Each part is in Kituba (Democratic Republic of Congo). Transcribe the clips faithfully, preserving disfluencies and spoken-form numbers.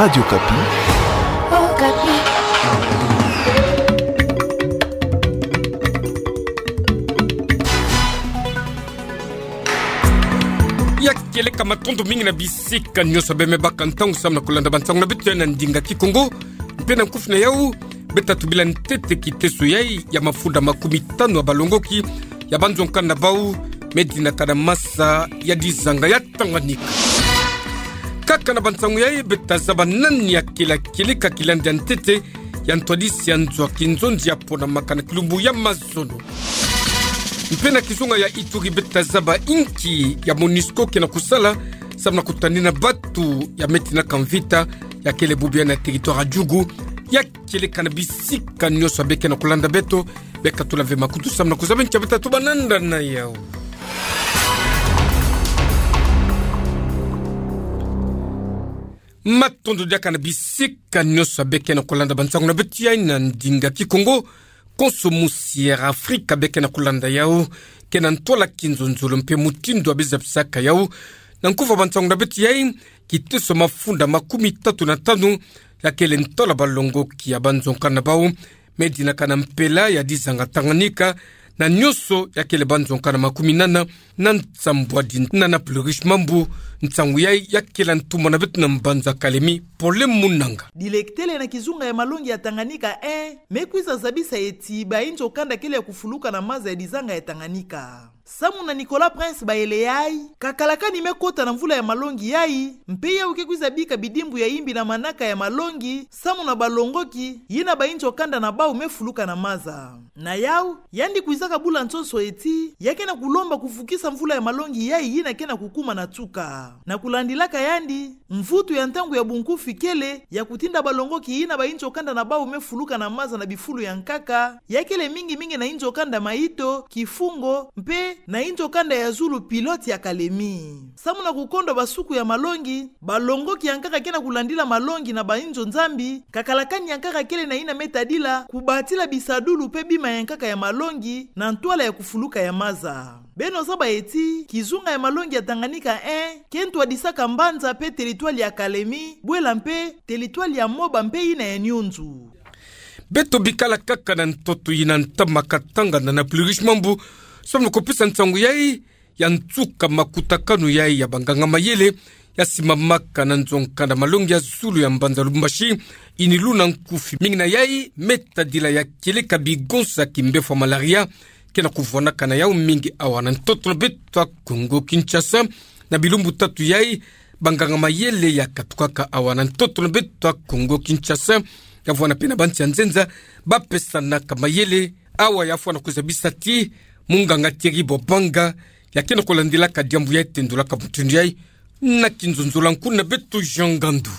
Radio Okapi. Okapi. Ya kieleka, matondo mingi na bisika nyonso bê me baka ntangu samu na kulanda bansangu na beto ya na ndinga Kikongo. Mpe na nkufi na yau, bê ta tubila ntete kiteso yai ya mafunda makumi tanu ya balongoki ya banzonkanda bau, me dinaka na maza ya dizanga ya Tanganyika. Kaka na bansangu yai, bê ta zaba nani akele kieleka kilandi ya ntete ya ntwadisi ya nzo ya kinzonzi ya ponamaka na kilumbu ya mazono. Mpe na kizunga ya Ituri, bê ta zaba inki ya MONUSCO ke na kusala samu na kutanina batu ya me tinaka mvita ya kele bubu ya na territoire ya Djugu. Ya kieleka na bisika nyonso bê ke na kulanda beto, bê katula ve makutu samu na kuzaba ncha bê ta tuba nanda na yau. Matondo diaka na bisika nyonso bê ke na kulanda bansangu na beto yai na ndinga Kikongo. Konso musi ya Afrika bê ke na kulanda yau, ke na ntwala kinzonzolo mpe mutindu ya bê zabisaka yau. Na nkufi ya bansangu na beto yai, kiteso mafunda makumi tatu na tanu ya kele ntwala balongoki ya banzonkanda bau, me dinaka na mpela ya dizanga Tanganyika, na nyonso ya kele banzonkanda makumi nana na nsambwadi na, na plus riche Mambu. Nsangu yai ya kele ntumwa na beto na mbanza Kalemi, Pole Munanga. Dilektele na kizunga ya malongi ya Tanganyika un me kwiza zabisa eti bainzo kanda kele ya kufuluka na maza ya dizanga ya Tanganyika. Samu na Nicolas Prince Bayele yai, kakalakani me kota na mvula ya malongi yai, mpe yau ke kwiza bika bidimbu ya imbi na manaka ya malongi samu na balongoki, yina bainzo kanda na bau me fuluka na maza. Na yau, yandi kwizaka bula nsonso eti, ya ke na kulomba kuvukisa mvula ya malongi yai yina ke na kukuma na tuka. Na kulandilaka yandi, mvutu ya ntangu ya bunkufi kele ya kutinda balongoki yina bainzo kanda na bau me fuluka na maza na bifulu ya nkaka, ya kele mingi mingi na inzo kanda Maïto, Kifungo, mpe na inzo kanda ya zulu pilote ya Kalemi. Samu na kukondwa basuku ya malongi, balongoki ya nkaka ke na kulandila malongi na bainzo nzambi, kakalakani ya nkaka kele na yina me tadila kubatila bisadulu mpe bima ya nkaka ya malongi na ntwala ya kufuluka ya maza. Beno zaba eti, kizunga ya malongi ya Tanganyika un ke ntwadisaka mbanza mpe territoire ya Kalemi, bwela mpe territoire ya Moba mpe yina ya Nyunzu. Beto bikala kaka na ntoto yina ntama katanga na, na plus riche Mambu, samu na kupesa nsangu yai ya nsuka makutakanu yai ya banganga mayele, ya simamaka na nzo nkanda malongi ya zulu ya mbanza Lubumbashi, ini luna nkufi. Mingi na yai me tadila ya kieleka bigonsa kimbefo ya malaria, ke na kuvwanaka na yau mingi awa na ntoto na beto ya Kongo Kinshasa. Na bilumbu tatu yai, banganga mayele ya katukaka awa na ntoto na beto ya Kongo Kinshasa, ya vwanda mpe na bansi ya nzenza, ba pesanaka mayele. Awa ya fwana kuzabisa ti munganga Thierry Bobanga, ya ke na kulandilaka diambu yai, tendulaka mutindu yai na kinzonzolo ya nkuna beto Jean Ngandu.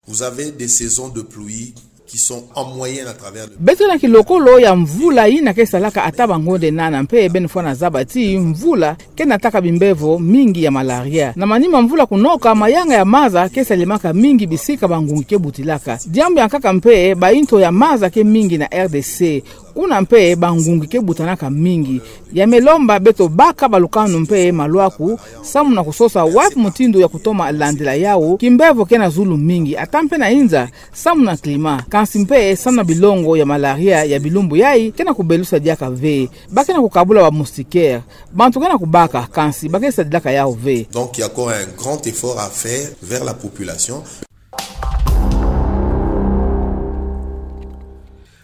Vous avez des saisons de pluie qui sont en moyenne à travers le... Beto na kilokolo ya mvula yina ke salaka ata bangonde nana, mpe beno fwana zaba ti mvula ke nataka bimbevo mingi ya malaria. Na manima mvula kunoka, mayanga ya maza ke salemaka mingi bisika bangungi ke butilaka. Diambu ya nkaka mpe, bainto ya maza ke mingi na R D C. Kuna mpe bangungi ke butanaka mingi. Ya me lomba beto baka balukanu mpe malwaku, samu na kusosa wapi mutindu ya kutoma landila yau, kimbevo ke na zulu mingi, ata mpe na inza, samu na climat, kansi mpe samu na bilongo ya malaria ya bilumbu yai ke na kubelusa diaka ve. Ba ke na kukabula ba moustiquaire. Bantu ke na kubaka, kansi ba ke sadilaka yau ve. Donc, il y a encore un grand effort à faire vers la population.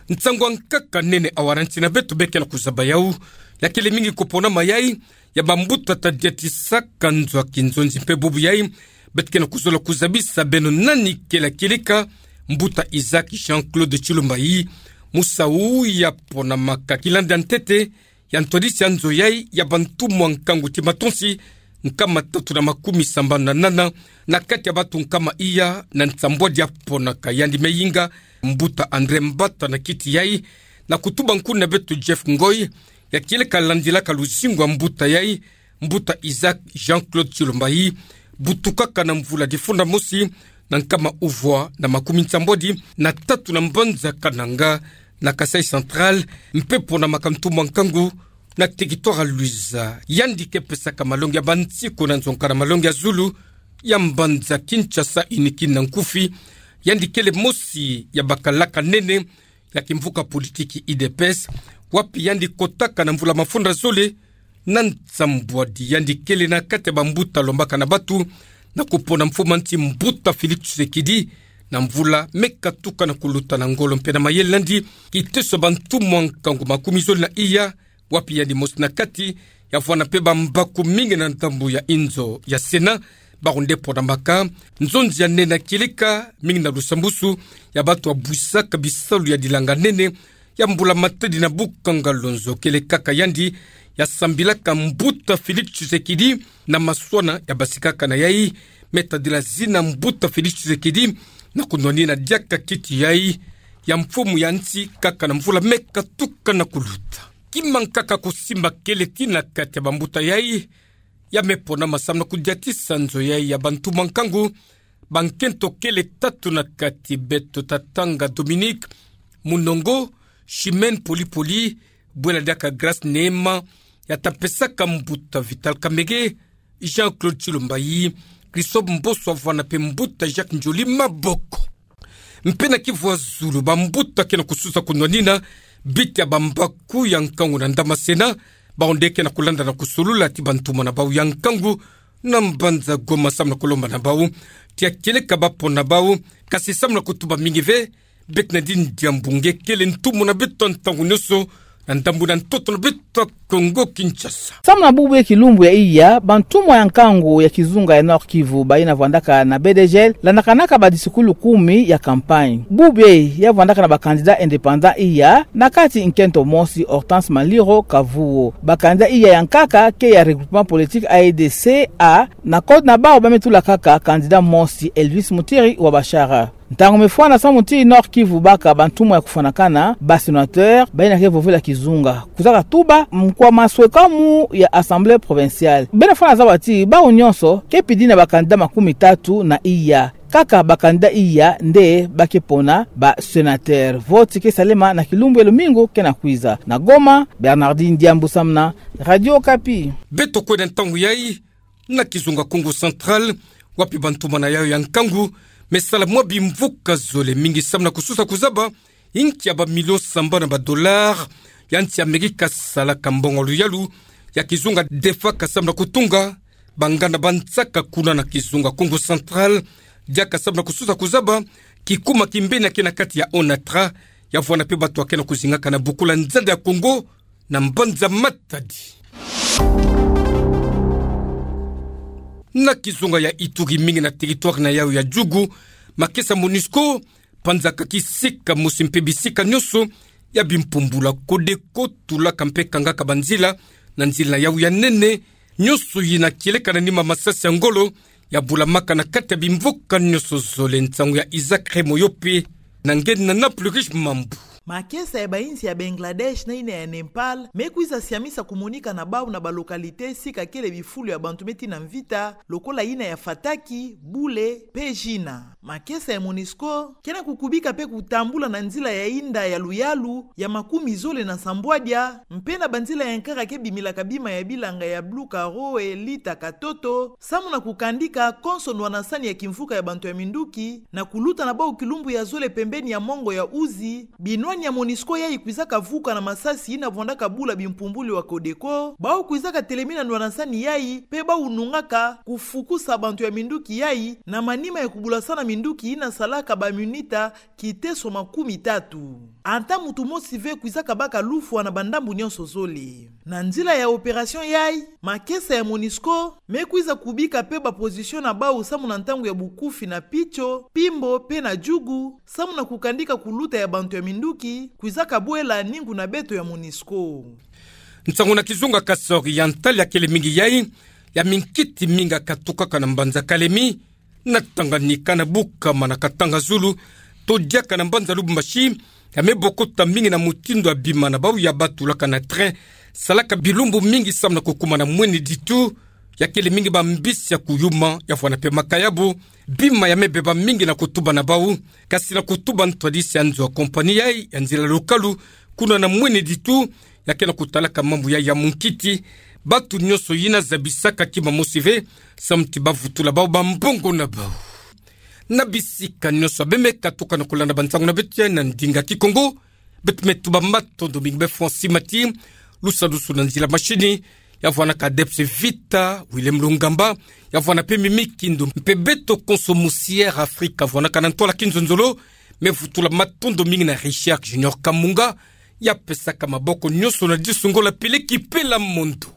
Nsangu ya nkaka nene awa na nsi na beto be ke na kuzaba yau, ya kele mingi kupona mayai ya bambuta tadiatisaka nzo ya kinzonzi mpe bubu yai, beto ke na kuzola kuzabisa beno nani kele kieleka mbuta Isaac Jean-Claude Tshilombayi. Musa'u ya ponamaka kilandi ya ntete ya ntwadisi ya nzo yai ya bantu mwa nkangu ti matonsi nkama tatu na makumi sambanu na nana, na kati ya batu nkama iya na nsambwadi ya ponaka yandi me yinga, mbuta André Mbata na kiti yai, na kutuba nkuna beto Jeff Ngoy, ya kieleka landilaka luzingu ya mbuta yai, mbuta Isaac Jean-Claude Tshilombayi, butukaka na mvula difunda mosi na nkama uvwa na makumi nsambwadi na tatu na mbanza Kananga, na Kasaï Central, mpe ponamaka ntumwa nkangu na territoire ya Luiza. Yandi ke pesaka malongi ya bansiku na nzonka na malongi ya zulu ya mbanza Kinshasa, inikini na nkufi Yandi kele mosi ya bakalaka nene ya kimvuka politiki U D P S, wapi yandi kotaka na mvula mafunda zole na nsambwadi. Yandi kele na kati ya bambuta lombaka na batu na kupona mfumu a nsi mbuta Félix Tshisekedi na mvula me katuka na kuluta na ngolo mpe na mayele n'andi, kiteso bantumwa nkangu makumi zole na iya, wapi yandi mosi na kati ya vwanda mpe bambaku mingi na ndambu ya inzo ya Sénat, bawu nde ponamaka nzonzi ya nene kieleka mingi na lusambusu ya batu ya bwisaka bisalu ya dilanga nene ya mbula-matadi na bukanga lonzo. Kele kaka yandi ya sambilaka mbuta Félix Tshisekedi na maswana ya basikaka na yai, me tadila zina mbuta Félix Tshisekedi na kunwanina diaka kiti yai ya mfumu ya nsi kaka na mvula me katuka na kuluta. Kima nkaka kusimba kele ti na kati ya bambuta yai ya me ponama samu na kudiatisa nzo yai ya bantumwa nkangu. Bankento kele tatu na kati, beto tatanga Dominique Munongo, Chimène Polypoly, bwela diaka Grace Neema, ya ta pesaka mbuta Vital Kamerhe, Jean-Claude Tshilombayi, Christophe Mboso, vwanda mpe mbuta Jacques Ndjoli maboko. Mpe na Kivu ya zulu, bambuta ke na kususa kunwanina biti ya bambaku ya nkangu na ndama Sénat, bawu nde ke na kulanda na kusolula ti bantumwa na bawu ya nkangu na mbanza Goma samu na kulomba na bawu ti ya kieleka bapona bawu, kasi samu na kutuba mingi ve, beto na dini diambu nge kele ntumwa na beto ntangu nyonso na ndambu na ntoto na beto Kongo Kinshasa. Samu na bubu ye kilumbu ya iya, bantumwa ya nkangu ya kizunga ya Nord-Kivu, bayina vwandaka na B D G L, landakanaka badisikulu kumi ya campagne. Bubu ye ya vwandaka na bacandidat indépendant iya, na kati nkento mosi Hortense Maliro Kavuo. Bacandidat iya ya nkaka ke ya regroupement politique A E D C A, na code na bawu ba me tula kaka candidat mosi Elvis Mutiri wa Bashara. Ntangu me fwana samu ti Nord-Kivu baka bantumwa ya kufwanakana, ba sénateur, bayina ke vovela kizunga. Kwizaka tuba, mkwa maswekamu ya Assemblée provinciale, bena fwana zaba ti bawu nyonso ke pidina bacandidat makumi tatu na iya. Kaka bacandidat iya nde ba ke pona ba sénateur. Voti ke salema na kilumbu ya lumingu ke na kwiza. Na Goma, Bernardine Diambu samu na Radio Okapi. Beto kwenda ntangu yai na kizunga Kongo Central, wapi bantumwa na yayo ya nkangu me sala mwa bimvuka zole mingi samu na kususa kuzaba inki ya bamilio sambanu ya badollars ya nsi Amerika salaka mbongo luyalu ya kizunga defaka samu na kutunga banganda bansaka kuna na kizunga Kongo Central, diaka samu na kususa kuzaba kikuma kimbeni ya ke na kati ya ONATRA, ya vwanda mpe batu ya ke na kuzingaka na bukula nzadi ya Kongo na mbanza Matadi. Na kizunga ya Ituri, mingi na territoire na yayo ya Djugu, makesa MONUSCO panzaka kisika mosi mpe bisika nyonso ya bimpumbulu ya Codeco, tulaka mpe kangaka banzila na nzila na yayo ya nene, nyonso yina kieleka na nima masasi ya ngolo ya bulamaka na kati ya bimvuka nyonso zole. Nsangu ya Isaac Remoyope na nge na Naples Riche Mambu. Makesa ya bainsi ya Bangladesh na yina ya Népal me kwiza siamisa kumonika na bawu na balocalité sika kele bifulu ya bantu me tii na mvita, lokola yina ya Fataki, Bule mpe Jina. Makesa ya MONUSCO ke na kukubika mpe kutambula na nzila ya inda ya luyalu ya makumi zole na nsambwadia, mpe na banzila ya nkaka ke bimilaka bima ya bilanga ya Blue Karoe, Lita, Katoto, samu na kukandika konso ndwanasani ya kimvuka ya bantu ya minduki, na kuluta na bawu kilumbu ya zole pembeni ya mongo ya Uzi, binwani ya MONUSCO yai kwizaka vuka na masasi yina vwandaka bula bimpumbulu ya Codeco, bawu kwizaka telemina ndwanasani yai, mpe bawu nungaka kufukusa bantu ya minduki yai, na manima ya kubulasana minduki yina salaka ba minita kiteso makumi tatu. Ata muntu mosi ve kwizaka baka lufwa na bandambu nyonso zole. Na nzila ya opération yai, makesa ya MONUSCO me kwiza kubika mpe baposition na bawu samu na ntangu ya bukufi na Pitcho, Pimbo mpe na Djugu, samu na kukandika kuluta ya bantu ya minduki kwizaka bwela ningu na beto ya MONUSCO. Nsangu na kizunga Kasaï Oriental ya kele mingi yai ya minkiti mingi ya katukaka na mbanza Kalemi, na Tanganyika, na Bukama, na Katanga-Zulu, to diaka na mbanza Lubumbashi, ya me bokota mingi na mutindu ya bima na bawu ya batulaka na train, salaka bilumbu mingi samu na kukuma na Mwene Ditu, ya kele mingi bambisi ya kuyuma, ya vwanda mpe makayabu. Bima ya me beba mingi na kutuba na bawu, kasi na kutuba ntwadisi ya nzo ya compagnie yai ya nzila lokalu, kuna na Mwene Ditu, ya ke na kutalaka mambu yai ya munkiti, bantu nyonso yina zabisaka kima mosi ve, samu ti ba vutula bawu bambongo na bawu. Na bisika nyonso abe me katuka na kolanda ba nsangu na beto ya na ndinga Kikongo. Beto me tuba matondo mingi be François Mati, lusalusu na nzila mashini, ya vwanaka Debs Vita, Willem Lungamba, ya vwana pe Mimi Kindu, mpe beto konso mu C R Africa, vwanaka na ntwala kinzonzolo. Me vutula matondo mingi na Richard Junior Kamunga, ya pesaka maboko nyonso na disu ngolo pele ki pela mondo.